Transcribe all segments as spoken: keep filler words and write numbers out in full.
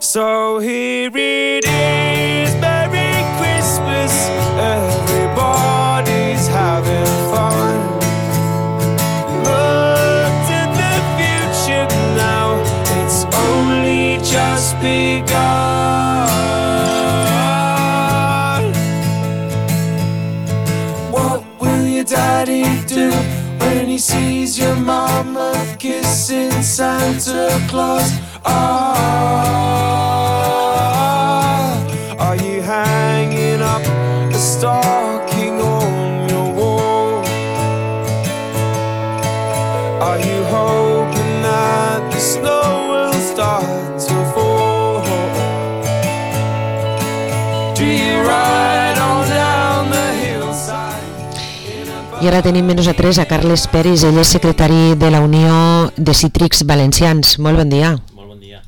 So here it is, Merry Christmas, everybody's having fun. Look to the future now, it's only just begun. What will your daddy do when he sees your mama kissing Santa Claus? Ah, are you hanging up a stocking on your wall? Are you hoping that the snow will start to fall? Do you ride on down the hillside? I ara tenim menys a tres a Carles Peris, ell és secretari de la Unió de Cítrics Valencians. Molt bon dia. Molt bon dia.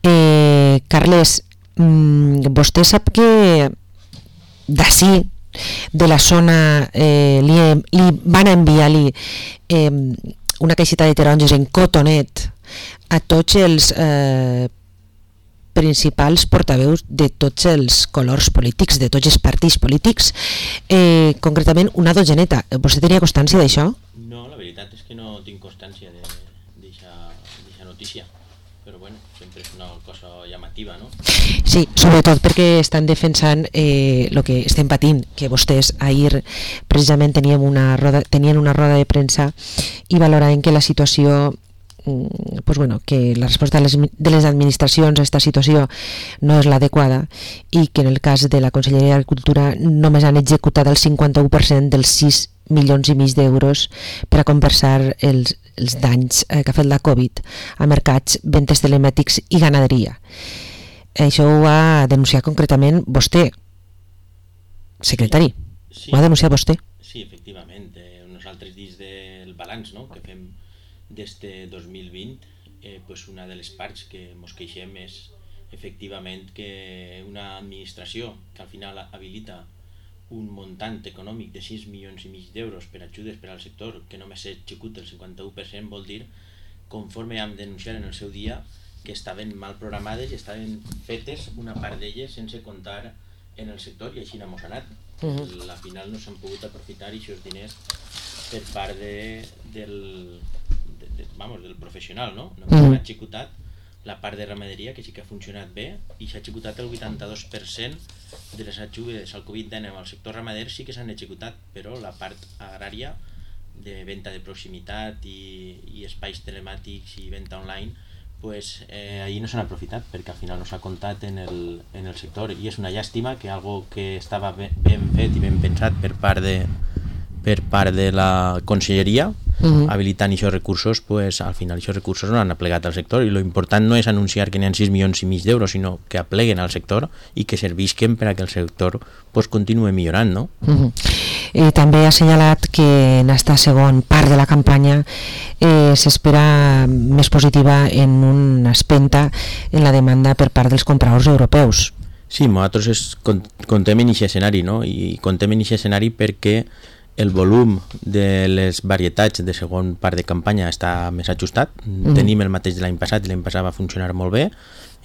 Eh, Carles, mmm, vostè sap que d'ací, de la zona, eh, li, li van enviar-li eh, una caixeta de taronges en cotonet a tots els eh, principals portaveus de tots els colors polítics, de tots els partits polítics, eh, concretament una dotzeneta. Vostè tenia constància d'això? No, la veritat és que no tinc constància d'aquesta notícia, però bueno, sempre és una cosa llamativa, no? Sí, sobretot perquè estan defensant el eh, que estem patint, que vostès ahir precisament teníem una roda, tenien una roda de premsa i valoraven que la situació, pues bueno, que la resposta de les, de les administracions a aquesta situació no és l'adequada i que en el cas de la Conselleria d'Agricultura només han executat el cinquanta-u per cent dels sis milions i mig d'euros per a compensar els, els danys eh, que ha fet la Covid a mercats, ventes telemàtics i ganaderia. Això ho va denunciar concretament vostè, secretari. Sí, ho ha denunciat vostè. Sí, efectivament. Eh, nosaltres dins del balanç, no?, que fem des de dos mil vint, eh, pues una de les parts que ens queixem és efectivament que una administració que al final habilita un muntant econòmic de sis milions i mig d'euros per ajudes per al sector que només s'executa el cinquanta-u per cent, vol dir, conforme vam denunciar en el seu dia, que estaven mal programades i estaven fetes una part d'elles sense comptar en el sector i així n'hem anat. Uh-huh. Al final no s'han pogut aprofitar aquests diners per part de, del, de, de, vamos, del professional, no? No s'ha uh-huh. executat la part de ramaderia, que sí que ha funcionat bé, i s'ha executat el vuitanta-dos per cent de les ajudes al covid dinou al sector ramader, sí que s'han executat, però la part agrària de venda de proximitat i, i espais telemàtics i venda online, pues eh, ahir no s'han aprofitat perquè al final no s'ha comptat en el, en el sector, i és una llàstima que algo que estava ben, ben fet i ben pensat per part de, per part de la Conselleria, uh-huh. habilitant aquests recursos, pues al final aquests recursos no han aplegat al sector, i lo important no és anunciar que n'hi ha sis milions i mig d'euros, sinó que apleguen al sector i que servisquen per a que el sector pues, continue millorant, no? Uh-huh. I també ha assenyalat que en aquesta segona part de la campanya eh, s'espera més positiva en una espenta en la demanda per part dels compradors europeus. Sí, nosaltres es, contem en aquest escenari, no? I contem en aquest escenari perquè el volum de les varietats de segon part de campanya està més ajustat. Mm. Tenim el mateix de l'any passat, i l'any passat va funcionar molt bé.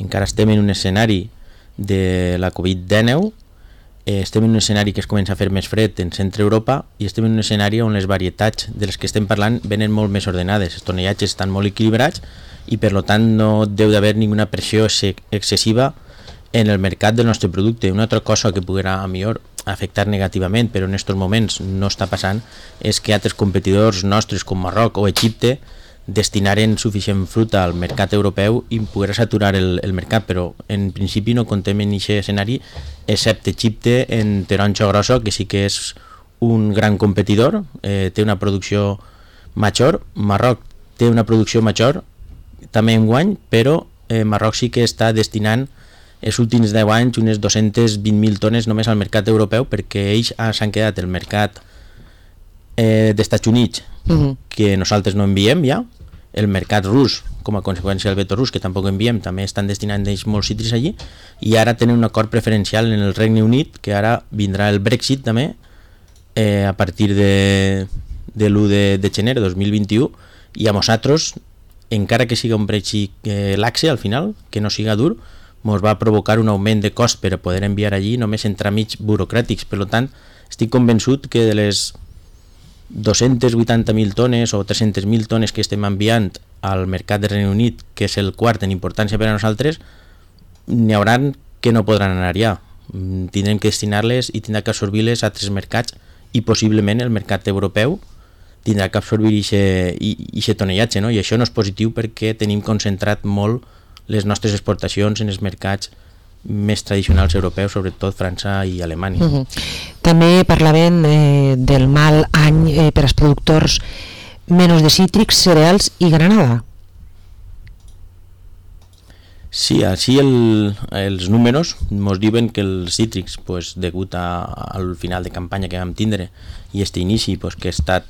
Encara estem en un escenari de la covid dinou, eh, estem en un escenari que es comença a fer més fred en centre Europa, i estem en un escenari on les varietats de les que estem parlant venen molt més ordenades, els tonellatges estan molt equilibrats i per tant no deu d'haver ninguna pressió excessiva en el mercat del nostre producte. Una altra cosa que podrà a millor afectar negativament, però en aquests moments no està passant, és que altres competidors nostres com Marroc o Egipte destinaren suficient fruita al mercat europeu i poder saturar el, el mercat, però en principi no contem en aquest escenari, excepte Egipte en taronja grossa, que sí que és un gran competidor, eh, té una producció major. Marroc té una producció major també en guany, però eh, Marroc sí que està destinant els últims deu anys unes dos-centes vint mil tones només al mercat europeu, perquè ells s'han quedat el mercat eh, dels Estats Units, uh-huh. que nosaltres no enviem ja, el mercat rus, com a conseqüència del veto rus, que tampoc enviem, també estan destinant ells molts cítrics allí, i ara tenen un acord preferencial en el Regne Unit, que ara vindrà el Brexit també, eh, a partir de, de l'u de, de gener de dos mil vint-i-u, i a nosaltres encara que siga un brexit eh, laxe al final, que no siga dur, ens va provocar un augment de cost per a poder enviar allí només en tràmits burocràtics. Per tant, estic convençut que de les dos-centes vuitanta mil tones o tres-centes mil tones que estem enviant al mercat del Regne Unit, que és el quart en importància per a nosaltres, n'hi hauran que no podran anar allà. Tindrem que destinar-les i tindrà que absorbir-les a altres mercats i possiblement el mercat europeu tindrà que absorbir aquest tonellatge, no? I això no és positiu perquè tenim concentrat molt les nostres exportacions en els mercats més tradicionals europeus, sobretot França i Alemanya. Uh-huh. També parlaven eh, del mal any eh, per als productors menys de cítrics, cereals i granada. Sí, així el, els números ens diuen que els cítrics, pues, degut a, al final de campanya que vam tindre i aquest inici pues, que ha estat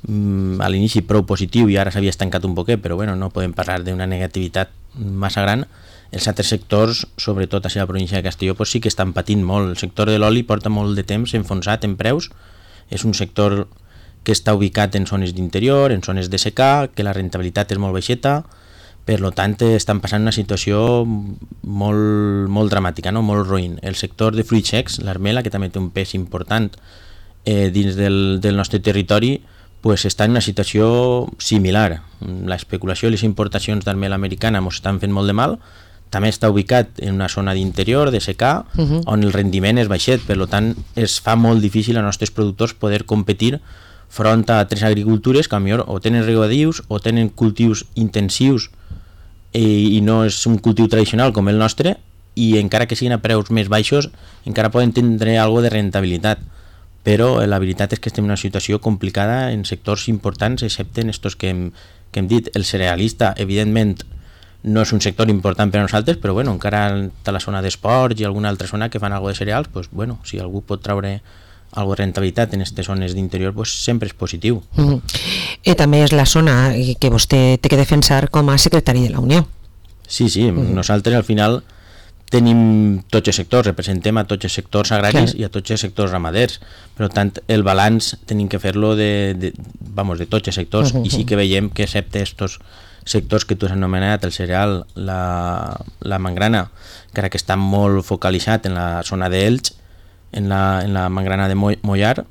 mm, a l'inici prou positiu i ara s'havia estancat un poquet, però bueno, no podem parlar d'una negativitat massa gran. Els altres sectors, sobretot a la província de Castelló, pues, sí que estan patint molt. El sector de l'oli porta molt de temps enfonsat en preus, és un sector que està ubicat en zones d'interior, en zones de secà, que la rentabilitat és molt baixeta. Per tant, estan passant una situació molt, molt dramàtica, no? Molt roïn. El sector de fruits secs, l'armela, que també té un pes important eh, dins del, del nostre territori, pues, està en una situació similar. L'especulació i les importacions d'armela americana ens estan fent molt de mal. També està ubicat en una zona d'interior, de secà, uh-huh. on el rendiment és baixet. Per tant, es fa molt difícil als nostres productors poder competir front a tres agricultures que potser o tenen regadius o tenen cultius intensius i no és un cultiu tradicional com el nostre, i encara que siguin a preus més baixos encara poden tindre alguna de rentabilitat, però la veritat és que estem en una situació complicada en sectors importants, excepte en estos que hem, que hem dit. El cerealista, evidentment, no és un sector important per a nosaltres, però bueno, encara a la zona d'esports i alguna altra zona que fan alguna de cereals, pues, bueno, si algú pot traure alguna de rentabilitat en aquestes zones d'interior, pues, sempre és positiu. Mm. I també és la zona que vostè té que defensar com a secretari de la Unió. Sí, sí, mm. nosaltres al final tenim tots els sectors, representem a tots els sectors agraris, clar, i a tots els sectors ramaders. Per tant, el balanç tenim que fer-lo de, de, vamos, de tots els sectors, uh-huh. i sí que veiem que excepte estos sectors que tu has anomenat, el cereal, la, la mangrana, encara que està molt focalitzat en la zona d'Elx, en la, en la mangrana de Mollar,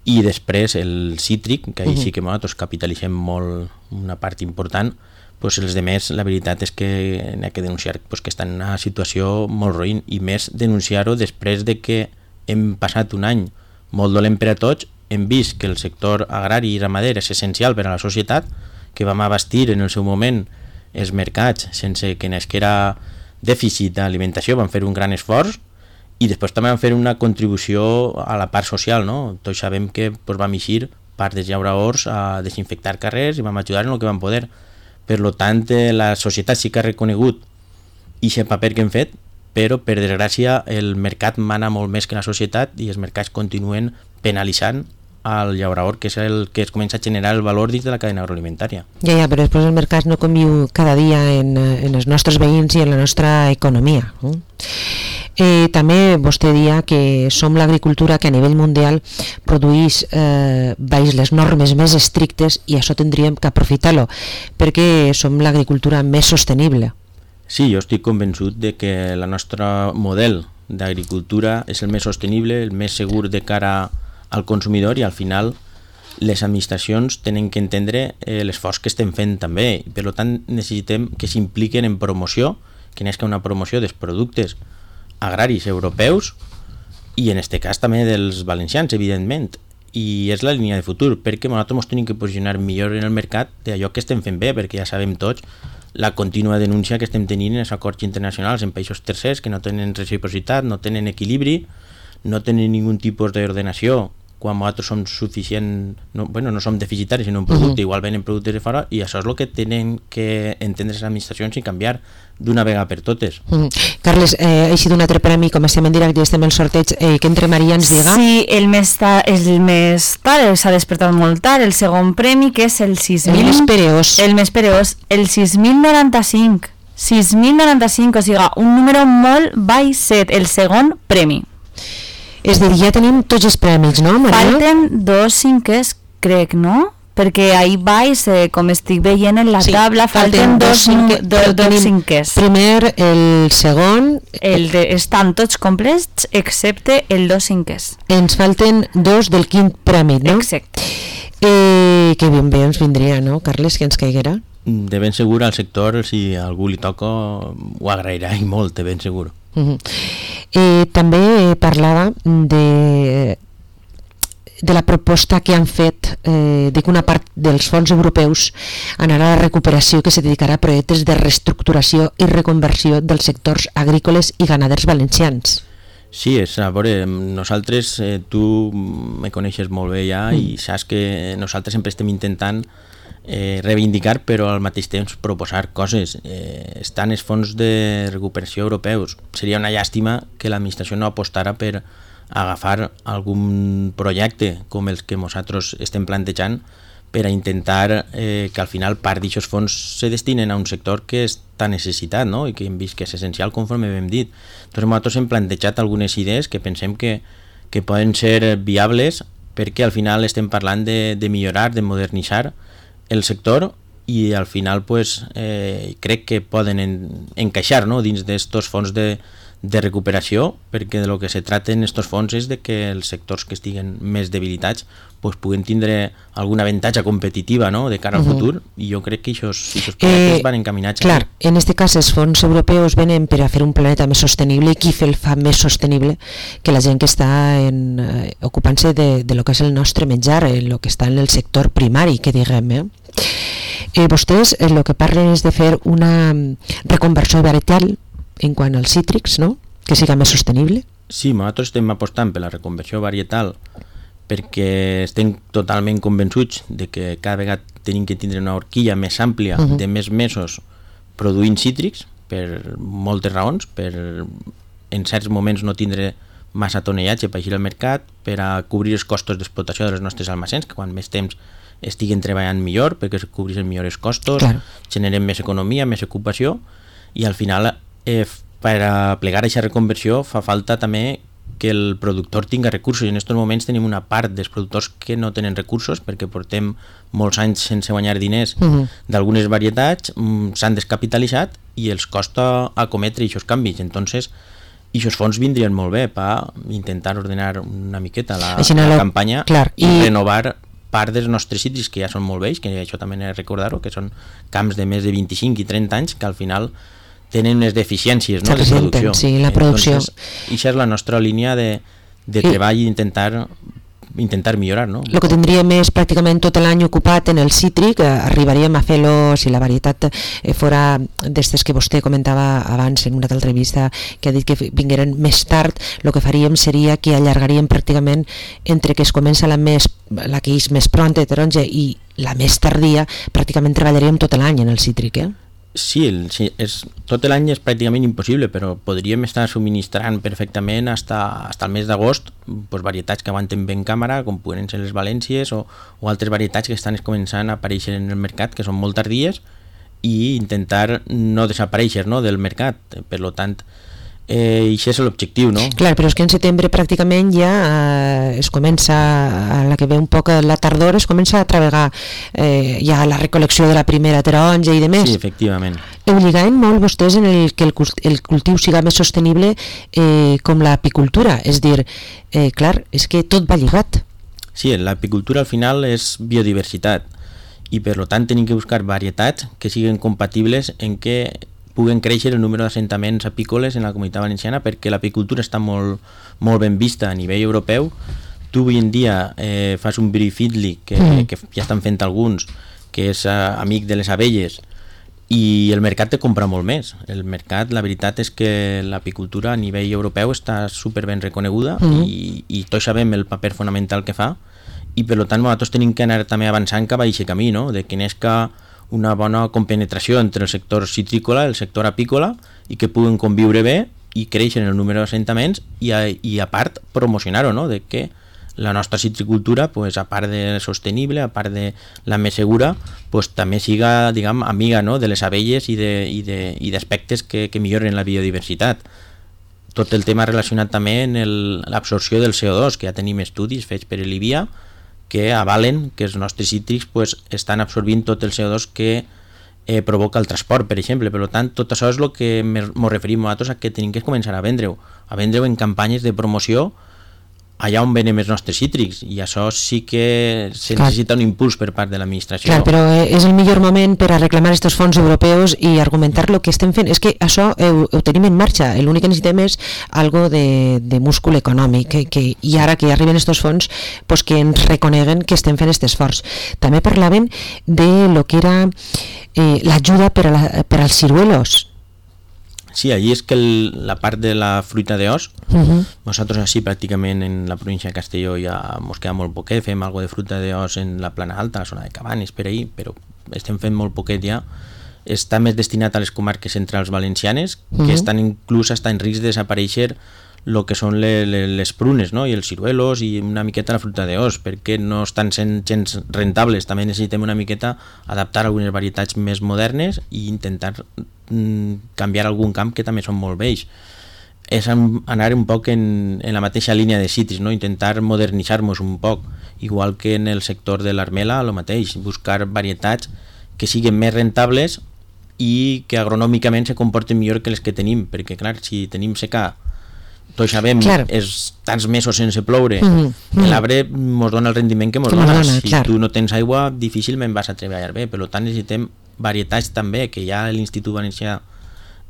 i després el cítric, que ahí uh-huh. sí que nosaltres capitalitzem molt, una part important, pues els demés, la veritat és que n'hi ha que denunciar pues, que estan en una situació molt roïn, i més denunciar-ho després de que hem passat un any molt dolent per a tots, hem vist que el sector agrari i ramader és essencial per a la societat, que vam abastir en el seu moment els mercats sense que n'esquera dèficit d'alimentació, vam fer un gran esforç, i després també vam fer una contribució a la part social, no? Tots sabem que pues, vam eixir part dels llauradors a desinfectar carrers i vam ajudar en el que vam poder. Per tant, la societat sí que ha reconegut aquest paper que hem fet, però per desgràcia el mercat mana molt més que la societat i els mercats continuen penalitzant al llaurador, que és el que es comença a generar el valor dins de la cadena agroalimentària. Ja, ja, però després el mercat no conviu cada dia en, en els nostres veïns i en la nostra economia. Eh? Eh, també vostè dia que som l'agricultura que a nivell mundial produeix eh, baix les normes més estrictes, i això tindríem que aprofitar-lo perquè som l'agricultura més sostenible. Sí, jo estic convençut de que el nostre model d'agricultura és el més sostenible, el més segur de cara al consumidor, i al final les administracions tenen que entendre eh, l'esforç que estem fent també. Per tant, necessitem que s'impliquen en promoció, que n'és que una promoció dels productes agraris europeus i en este cas també dels valencians, evidentment, i és la línia de futur, perquè nosaltres ens tenim que posicionar millor en el mercat d'allò que estem fent bé, perquè ja sabem tots la contínua denúncia que estem tenint en els acords internacionals en països tercers que no tenen reciprocitat, no tenen equilibri, no tenen ningun tipus d'ordenació quan nosaltres som suficient, no, bueno, no som deficitaris en un producte, uh-huh. igual venen productes de fora, i això és el que tenen que entendre les administracions i canviar d'una vegada per totes. Uh-huh. Carles, eh, ha sigut un altre premi, com estem en directe i estem en el sorteig, eh, que entre Maria ens diga? Sí, el més tard, el més tard, s'ha despertat molt tard, el segon premi, que és el sis mil... El més pereós. El més pereós, el sis mil noranta-cinc. sis mil noranta-cinc, o sigui, un número molt baixet, el segon premi. És dir, ja tenim tots els premis, no, Maria? Falten dos cinquers, crec, no? perquè ahir baix, eh, com estic veient en la Sí, taula, falten, falten dos, dos cinque- do, però dos tenim cinquers. Primer, el segon, El de, estan tots complets excepte el dos cinquers. ens falten dos del quint premi, no? Exacte. Eh, que ben bé ens vindria, no, Carles, que ens caiguera? De ben segur al sector, si a algú li toca, ho agrairà i molt, de ben segur. Uh -huh. eh, també eh, parlava de de la proposta que han fet eh, de que una part dels fons europeus anarà a la recuperació, que se dedicarà a projectes de reestructuració i reconversió dels sectors agrícoles i ganaders valencians. Sí, és, a veure, nosaltres, eh, tu me coneixes molt bé ja mm. i saps que nosaltres sempre estem intentant eh, reivindicar, però al mateix temps proposar coses. Eh, estan els fons de recuperació europeus. Seria una llàstima que l'administració no apostara per agafar algun projecte com els que nosaltres estem plantejant per a intentar eh, que al final part d'aquests fons se destinen a un sector que està necessitat, no? I que hem vist que és essencial conforme hem dit. Entonces nosaltres hem plantejat algunes idees que pensem que, que poden ser viables, perquè al final estem parlant de, de millorar, de modernitzar el sector, i al final pues, eh, crec que poden en, encaixar, no? Dins d'estos fons de de recuperació, perquè de lo que se trata en estos fons és de que els sectors que estiguen més debilitats pues, puguen tindre alguna avantatge competitiva, no? De cara al uh -huh. futur, i jo crec que aquests projectes eh, van encaminats. Clar, en este cas els fons europeus venen per a fer un planeta més sostenible, i qui el fa més sostenible que la gent que està en, eh, ocupant-se de, de lo que és el nostre menjar, en lo que està en el sector primari, que diguem, eh? Eh, vostès el que parlen és de fer una reconversió varietal en quant als cítrics, no? Que siga més sostenible. Sí, nosaltres estem apostant per la reconversió varietal perquè estem totalment convençuts de que cada vegada tenim que tindre una horquilla més àmplia, uh -huh. de més mesos produint cítrics, per moltes raons, per en certs moments no tindre massa tonellatge per eixir al mercat, per a cobrir els costos d'explotació dels nostres almacens, que quan més temps estiguen treballant millor, perquè es cobreixen millor els costos, claro. Generem més economia, més ocupació, i al final Eh, per a plegar aquesta reconversió fa falta també que el productor tinga recursos, i en aquests moments tenim una part dels productors que no tenen recursos perquè portem molts anys sense guanyar diners uh -huh. d'algunes varietats, s'han descapitalitzat i els costa acometre aquests canvis. Entonces aquests fons vindrien molt bé per intentar ordenar una miqueta la, la, la campanya, clar, i, i renovar part dels nostres cítrics que ja són molt vells, que això també he de recordar-ho, que són camps de més de vint-i-cinc i trenta anys que al final tenen unes deficiències, no, de producció. Sí, la producció. Entonces, això és la nostra línia de, de treball i intentar, intentar millorar, no? El que tindríem és pràcticament tot l'any ocupat en el cítric, eh, arribaríem a fer-lo, si la varietat eh, fora d'estes que vostè comentava abans en una altra entrevista, que ha dit que vingueren més tard, el que faríem seria que allargaríem pràcticament entre que es comença la, més, la que és més pronta de taronja i la més tardia, pràcticament treballaríem tot l'any en el cítric, eh? Sí, el, sí és, tot l'any és pràcticament impossible, però podríem estar subministrant perfectament hasta, hasta el mes d'agost pues, varietats que aguanten ben càmera, com poden ser les valències o, o altres varietats que estan començant a aparèixer en el mercat, que són molt tardies, i intentar no desaparèixer, no, del mercat. Per lo tant, eh, això és l'objectiu, no? Clar, però és que en setembre pràcticament ja eh, es comença, a la que ve un poc la tardor, es comença a treballar eh, ja la recol·lecció de la primera taronja i de més. Sí, efectivament. Obligaven molt vostès en el que el, el cultiu siga més sostenible eh, com l'apicultura, és dir, eh, clar, és que tot va lligat. Sí, l'apicultura al final és biodiversitat i per tant tenim que buscar varietats que siguin compatibles en què puguen créixer el número d'assentaments apícoles en la Comunitat Valenciana, perquè l'apicultura està molt, molt ben vista a nivell europeu. Tu avui en dia eh, fas un Brie Fiddly, que, mm. que ja estan fent alguns, que és uh, amic de les abelles, i el mercat te compra molt més. El mercat, la veritat és que l'apicultura a nivell europeu està super ben reconeguda mm. i, i tots sabem el paper fonamental que fa, i per tant nosaltres tenim que anar també avançant cap a aquest camí, no? De que n'esca una bona compenetració entre el sector citrícola i el sector apícola i que puguen conviure bé i créixer en el número d'assentaments i a, i a part promocionar-ho, no? De que la nostra citricultura, pues, a part de sostenible, a part de la més segura, pues, també siga, diguem, amiga, no? De les abelles i d'aspectes que, que milloren la biodiversitat. Tot el tema relacionat també amb l'absorció del C O dos, que ja tenim estudis fets per l'I B I A, que avalen que els nostres cítrics pues, estan absorbint tot el C O dos que eh, provoca el transport, per exemple. Per tant, tot això és el que ens referim nosaltres a que tenim que començar a vendre-ho, a vendre-ho en campanyes de promoció allà on venem els nostres cítrics, i això sí que se Clar. necessita un impuls per part de l'administració. Clar, però és el millor moment per a reclamar aquests fons europeus i argumentar el que estem fent. És que això ho, ho tenim en marxa, l'únic que necessitem és algo de, de múscul econòmic, que, que, i ara que arriben aquests fons, pues que ens reconeguen que estem fent aquest esforç. També parlaven de lo que era eh, l'ajuda per, a la, per als ciruelos. Sí, allí és que el, la part de la fruita d'os, Uh-huh. nosaltres així pràcticament en la província de Castelló ja mos queda molt poquet, fem algo de fruita d'os en la plana alta, la zona de Cabanes, per ahí, però estem fent molt poquet ja. Està més destinat a les comarques centrals valencianes, Uh-huh. que estan inclús està en risc de desaparèixer el que són le, le, les prunes, no? I els ciruelos i una miqueta la fruita d'os, perquè no estan sent gens rentables. També necessitem una miqueta adaptar algunes varietats més modernes i intentar mm, canviar algun camp que també són molt vells. És anar un poc en, en la mateixa línia de cítrics, no? Intentar modernitzar-nos un poc, igual que en el sector de l'armela, el mateix, buscar varietats que siguin més rentables i que agronòmicament se comporten millor que les que tenim, perquè clar, si tenim secà, tots sabem, Clar. és tants mesos sense ploure, Mhm, mhm. l'arbre mos dona el rendiment que mos Que mos dona, dona, si clar. tu no tens aigua difícilment vas a treballar bé, per tant necessitem varietats també, que ja l'Institut Valencià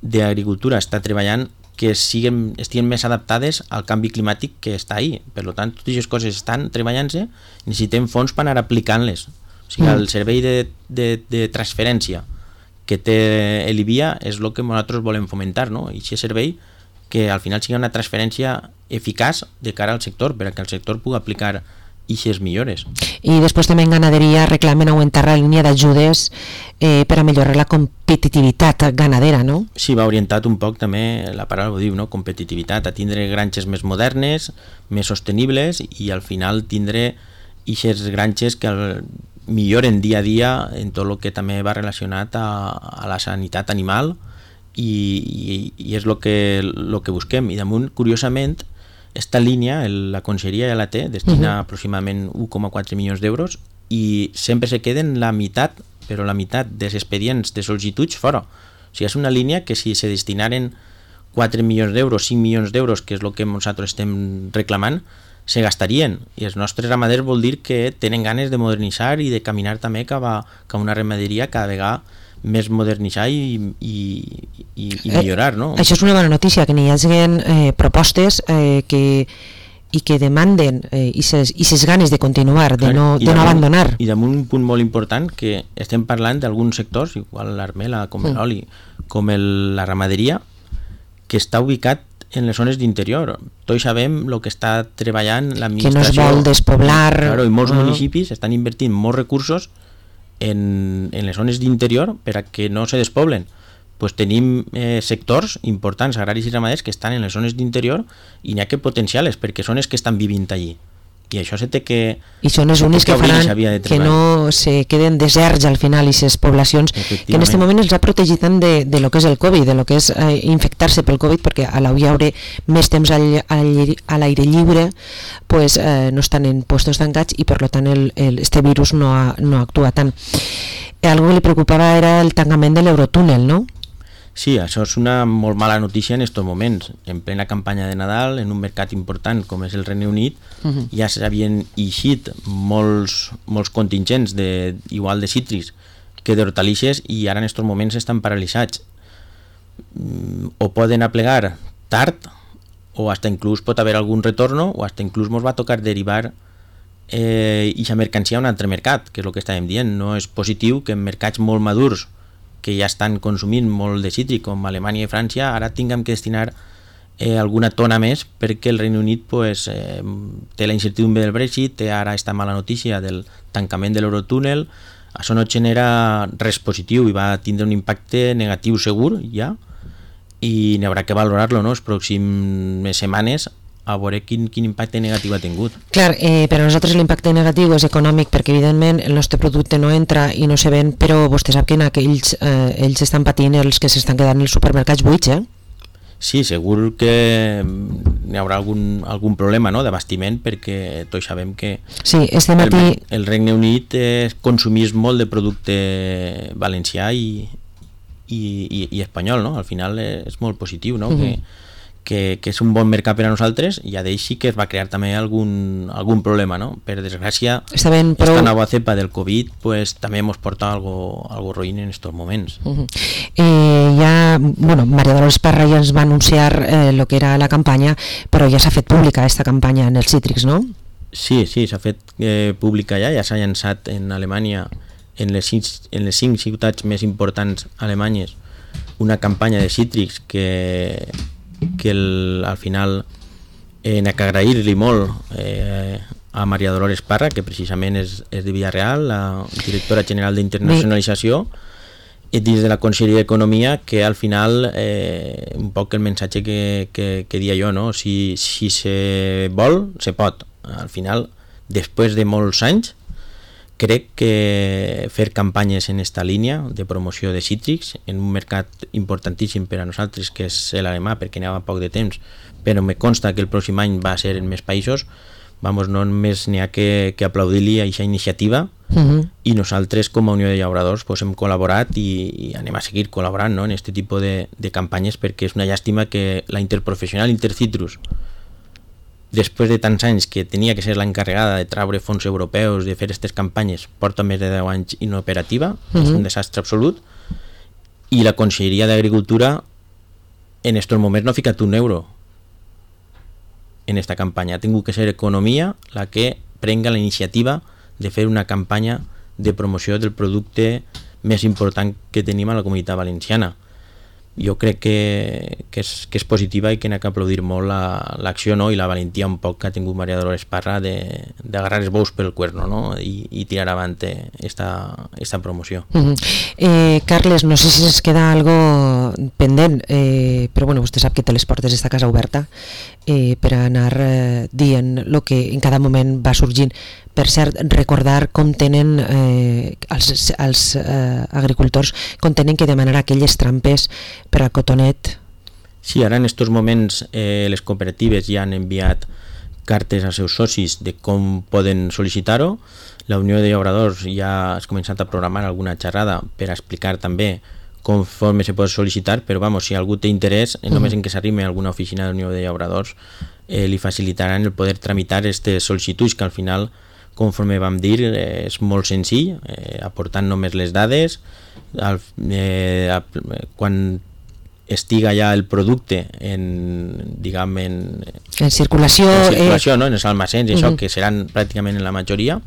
d'Agricultura està treballant, que siguen, estiguin més adaptades al canvi climàtic que està ahí. Per tant, totes aquestes coses estan treballant-se, necessitem fons per anar aplicant-les. O sigui, Mm. el servei de, de, de transferència que té l'Ivia és el que nosaltres volem fomentar, no? I aquest servei que al final sigui una transferència eficaç de cara al sector, perquè el sector pugui aplicar eixes millores. I després també en ganaderia reclamen augmentar la línia d'ajudes eh, per a millorar la competitivitat ganadera, no? Sí, va orientat un poc també, la paraula ho diu, no? Competitivitat, a tindre granges més modernes, més sostenibles i al final tindre eixes granges que el, milloren dia a dia en tot el que també va relacionat a, a la sanitat animal i, i, i és el que, lo que busquem. I damunt, curiosament, esta línia, el, la conselleria ja la té, destina uh-huh. aproximadament un coma quatre milions d'euros i sempre se queden la meitat, però la meitat dels expedients de sol·licituds fora. O sigui, és una línia que si se destinaren quatre milions d'euros, cinc milions d'euros, que és el que nosaltres estem reclamant, se gastarien. I els nostres ramaders vol dir que tenen ganes de modernitzar i de caminar també cap a, cap a una ramaderia cada vegada més modernitzar i, i, i, i millorar, no? Eh, això és una bona notícia, que n'hi hagi eh, propostes eh, que, i que demanden eh, i ses ganes de continuar, de no, de no abandonar. I damunt un punt molt important, que estem parlant d'alguns sectors, igual l'armela, com Mm. l'oli, com el, la ramaderia, que està ubicat en les zones d'interior. Tots sabem el que està treballant l'administració. Que no es vol despoblar. Claro, i molts Ah. municipis estan invertint molts recursos en, en les zones d'interior per a que no se despoblen. Pues tenim eh, sectors importants, agraris i ramaders, que estan en les zones d'interior i n'hi ha que potenciar-les, perquè són els que estan vivint allí. I això se té que... I són els únics que faran que no se queden deserts al final, i ses poblacions que en aquest moment els ha protegit tant de, de lo que és el Covid, de lo que és eh, infectar-se pel Covid, perquè a l'au hi haurà més temps al, al, a l'aire lliure, pues, eh, no estan en puestos tancats i per tant el, el, este virus no, ha, no actua tant. Algo que li preocupava era el tancament de l'Eurotúnel, no? Sí, això és una molt mala notícia en aquests moments. En plena campanya de Nadal, en un mercat important com és el Regne Unit, uh-huh. ja s'havien eixit molts, molts contingents de, igual de cítrics que d'hortalisses i ara en aquests moments estan paralitzats. O poden aplegar tard o hasta inclús pot haver algun retorno o hasta inclús ens va tocar derivar eh, ixa mercancia a un altre mercat, que és el que estàvem dient. No és positiu que en mercats molt madurs que ja estan consumint molt de cítric, com Alemanya i França, ara tinguem que destinar eh, alguna tona més perquè el Regne Unit pues, eh, té la incertidumbre del Brexit, té ara esta mala notícia del tancament de l'Eurotúnel. Això no genera res positiu i va tindre un impacte negatiu segur ja, i n'hi haurà que valorar-lo, no?, les pròximes setmanes a veure quin, quin impacte negatiu ha tingut. Clar, eh, per a nosaltres l'impacte negatiu és econòmic perquè evidentment el nostre producte no entra i no se ven, però vostè sap que en aquells eh, ells estan patint els que s'estan quedant els supermercats buits, eh? Sí, segur que n'hi haurà algun, algun problema, no?, d'abastiment, perquè tots sabem que sí, este matí... el, el Regne Unit eh, consumís molt de producte valencià i, i, i, i espanyol, no? Al final és molt positiu, no? Uh-huh. que, que, que és un bon mercat per a nosaltres, i a d'ell sí que es va crear també algun, algun problema, no? Per desgràcia, prou... esta nova cepa del Covid pues, també ens porta algo, algo ruïn en estos moments. Uh-huh. eh, ja, bueno, María Dolores Parra ja ens va anunciar eh, lo que era la campanya, però ja s'ha fet pública esta campanya en els cítrics, no? Sí, sí, s'ha fet eh, pública ja, ja s'ha llançat en Alemanya, en les, cinc, en les cinc ciutats més importants alemanyes, una campanya de cítrics que que el, al final eh, n'ha que agrair-li molt eh, a María Dolores Parra, que precisament és, és de Villarreal, la directora general d'internacionalització, i dins de la Conselleria d'Economia, que al final eh, un poc el missatge que, que, que dia jo, no? Si, si se vol, se pot. Al final, després de molts anys, crec que fer campanyes en esta línia de promoció de cítrics en un mercat importantíssim per a nosaltres, que és l'alemà, perquè n'hi ha poc de temps, però me consta que el pròxim any va ser en més països, vamos, no només n'hi ha que, que aplaudir-li a aquesta iniciativa, uh-huh. i nosaltres com a Unió de Llauradors pues, hem col·laborat i, i anem a seguir col·laborant, no?, en aquest tipus de, de campanyes, perquè és una llàstima que la interprofessional Intercitrus, després de tants anys que tenia que ser l'encarregada de traure fons europeus, de fer aquestes campanyes, porta més de deu anys inoperativa, uh-huh. és un desastre absolut, i la Conselleria d'Agricultura en estos moments no ha ficat un euro en esta campanya. Ha tingut que ser Economia la que prenga la iniciativa de fer una campanya de promoció del producte més important que tenim a la Comunitat Valenciana. Jo crec que, que, és, que és positiva i que n'ha que aplaudir molt la, l'acció, no?, i la valentia un poc que ha tingut María Dolores Parra d'agarrar els bous pel cuerno, no?, i, i tirar avant esta, esta promoció. Uh-huh. eh, Carles, no sé si es queda algo pendent, eh, però bueno, vostè sap que té les portes d'esta casa oberta eh, per anar eh, dient el que en cada moment va sorgint. Per cert, recordar com tenen eh, els, els eh, agricultors com tenen que demanar aquelles trampes per al cotonet. Sí, ara en aquests moments eh, les cooperatives ja han enviat cartes als seus socis de com poden sol·licitar-ho. La Unió de Llauradors ja ha començat a programar alguna xerrada per explicar també conforme se pot sol·licitar, però vamos, si algú té interès, mm. només en que s'arrime a alguna oficina de la Unió de Llauradors eh, li facilitaran el poder tramitar aquestes sol·licituds, que al final, conforme vam dir, eh, és molt senzill, eh, aportant només les dades, al, eh, a, quan estiga ja el producte en, diguem, en, en circulació, en, circulació eh... no? en els almacens, uh-huh. això, que seran pràcticament en la majoria,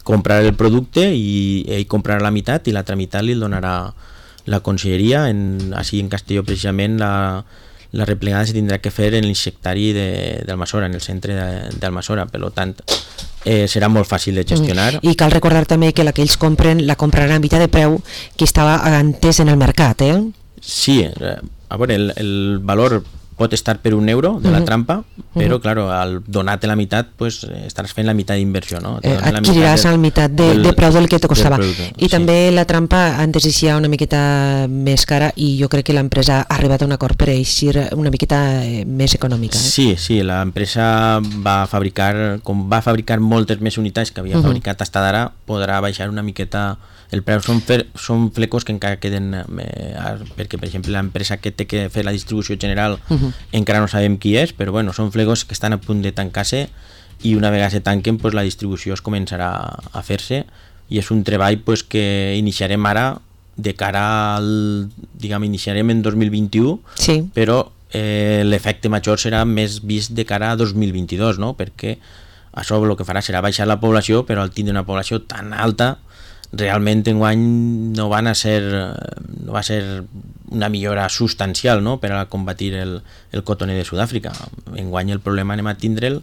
comprar el producte i ell comprarà la meitat i la tramitat li donarà la conselleria. En, així en Castelló precisament la, la replegada se tindrà que fer en l'insectari d'Almassora, en el centre d'Almassora, per tant eh, serà molt fàcil de gestionar. I cal recordar també que la que ells compren la compraran a mitjà de preu que estava antes en el mercat, eh? Sí, a veure, el, el valor pot estar per un euro de la uh-huh. trampa, però, uh-huh. claro, al donar-te la meitat, pues, estaràs fent la meitat d'inversió, no? Eh, adquiriràs la meitat de, del, de preu del que te costava. I sí. també la trampa antes eixia una miqueta més cara i jo crec que l'empresa ha arribat a un acord per eixir una miqueta més econòmica. Eh? Sí, sí, l'empresa va fabricar, com va fabricar moltes més unitats que havia uh-huh. fabricat fins d'ara, podrà baixar una miqueta el preu. Són, fer, són flecos que encara queden, eh, perquè per exemple l'empresa que té que fer la distribució general uh-huh. encara no sabem qui és, però bueno, són flegos que estan a punt de tancar-se i una vegada se tanquen pues, la distribució es començarà a fer-se i és un treball pues, que iniciarem ara de cara al, diguem, iniciarem en dos mil vint-i-u, sí. però eh, l'efecte major serà més vist de cara a dos mil vint-i-dos, no? Perquè això el que farà serà baixar la població, però al tindre una població tan alta realment enguany no van a ser no va ser una millora substancial, no?, per a combatir el, el cotoner de Sud-àfrica. Enguany el problema anem a tindre'l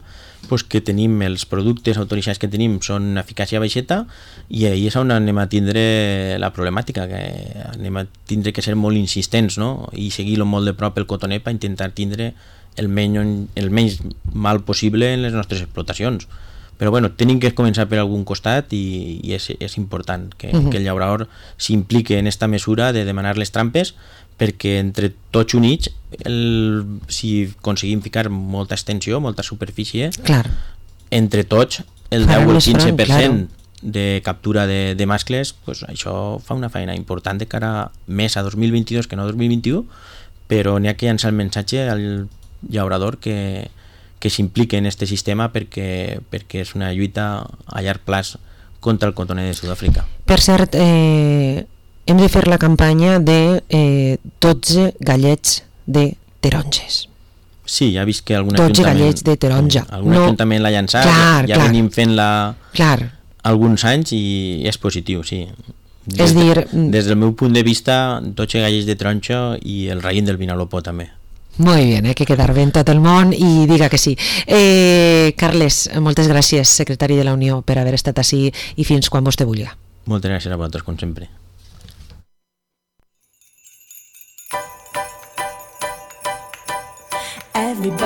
pues, que tenim els productes autoritzats que tenim són eficàcia baixeta i ahí és on anem a tindre la problemàtica, que anem a tindre que ser molt insistents, no?, i seguir-lo molt de prop el cotoner per intentar tindre el menys, el menys mal possible en les nostres explotacions. Però bueno, tenim que començar per algun costat i, i és, és important que, uh-huh. que el llaurador s'implique en esta mesura de demanar les trampes perquè entre tots units el, si aconseguim ficar molta extensió, molta superfície, Clar. entre tots, el Faran deu o el més quinze per cent franc, de captura de, de mascles, pues això fa una feina important de cara més a dos mil vint-i-dos que no dos mil vint-i-u, però n'hi ha que llançar el missatge al llaurador que, que s'implique en aquest sistema perquè, perquè és una lluita a llarg plaç contra el cotoner de Sud-àfrica. Per cert, eh, hem de fer la campanya de eh, dotze gallets de taronges. Sí, ja he vist que algun dotze ajuntament, gallets de taronja. algun No- ajuntament l'ha llançat, Clar, ja, ja clar. venim fent-la Clar, alguns anys i és positiu, sí. És de- dir, des del meu punt de vista, dotze gallets de taronja i el raïm del Vinalopó també. molt bé, eh, que quedar bé en tot el món i diga que sí. Eh, Carles, moltes gràcies, secretari de la Unió, per haver estat ací i fins quan vostè vulgui. Moltes gràcies a vosaltres, com sempre. Everybody